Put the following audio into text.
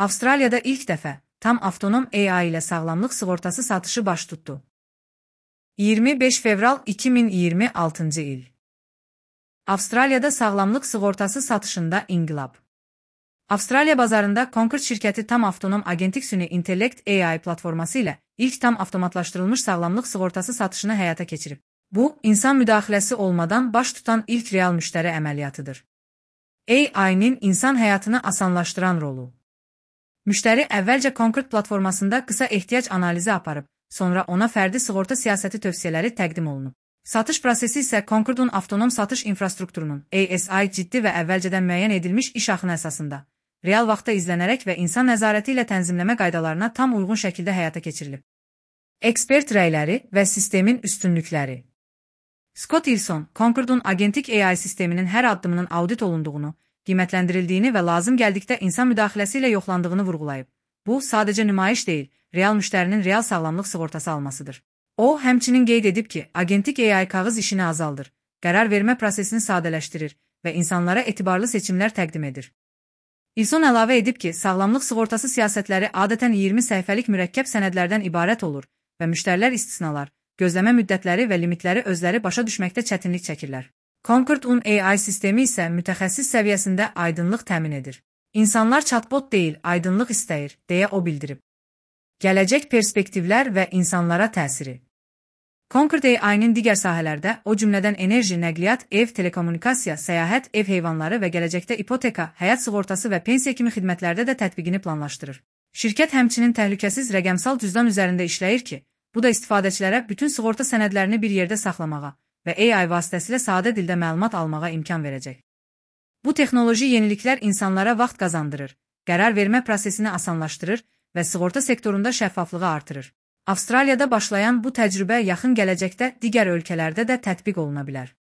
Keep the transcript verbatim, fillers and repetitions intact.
Avstraliyada ilk dəfə tam avtonom A I ilə sağlamlıq sığortası satışı baş tutdu. iyirmi beş fevral iki min iyirmi altıncı il. Avstraliyada sağlamlıq sığortası satışında inqilab. Avstraliya bazarında Concord şirkəti tam avtonom agentik süni intellekt A I platforması ilə ilk tam avtomatlaşdırılmış sağlamlıq sığortası satışını həyata keçirib. Bu, insan müdaxiləsi olmadan baş tutan ilk real müştəri əməliyyatıdır. A I-nin insan həyatını asanlaşdıran rolu. Müştəri əvvəlcə Concord platformasında qısa ehtiyac analizi aparıb, sonra ona fərdi sığorta siyasəti tövsiyələri təqdim olunub. Satış prosesi isə Concord'un avtonom satış infrastrukturunun A S I ciddi və əvvəlcədən müəyyən edilmiş iş axını əsasında, real vaxtda izlənərək və insan nəzarəti ilə tənzimləmə qaydalarına tam uyğun şəkildə həyata keçirilib. Ekspert rəyləri və sistemin üstünlükləri. Scott Ilson, Concord'un agentik A I sisteminin hər addımının audit olunduğunu, qiymətləndirildiyini və lazım gəldikdə insan müdaxiləsi ilə yoxlandığını vurğulayıb. Bu, sadəcə nümayiş deyil, real müştərinin real sağlamlıq sığortası almasıdır. O, həmçinin qeyd edib ki, agentik A I kağız işini azaldır, qərar vermə prosesini sadələşdirir və insanlara etibarlı seçimlər təqdim edir. Ilson əlavə edib ki, sağlamlıq sığortası siyasətləri adətən iyirmi səhifəlik mürəkkəb sənədlərdən ibarət olur və müştərilər istisnalar, gözləmə müddətləri və limitləri özləri başa düşməkdə çətinlik çəkirlər. Concord'un A I sistemi isə mütəxəssis səviyyəsində aydınlıq təmin edir. İnsanlar chatbot deyil, aydınlıq istəyir, deyə o bildirib. Gələcək perspektivlər və insanlara təsiri. Concord A I-nin digər sahələrdə, o cümlədən enerji, nəqliyyat, ev, telekommunikasiya, səyahət, ev heyvanları və gələcəkdə ipoteka, həyat sığortası və pensiya kimi xidmətlərdə də tətbiqini planlaşdırır. Şirkət həmçinin təhlükəsiz rəqəmsal cüzdan üzərində işləyir ki, bu da istifadəçilərə bütün sığorta sənədlərini bir yerdə saxlamağa və A I vasitəsilə sadə dildə məlumat almağa imkan verəcək. Bu texnoloji yeniliklər insanlara vaxt qazandırır, qərar vermə prosesini asanlaşdırır və sığorta sektorunda şəffaflığı artırır. Avstraliyada başlayan bu təcrübə yaxın gələcəkdə digər ölkələrdə də tətbiq oluna bilər.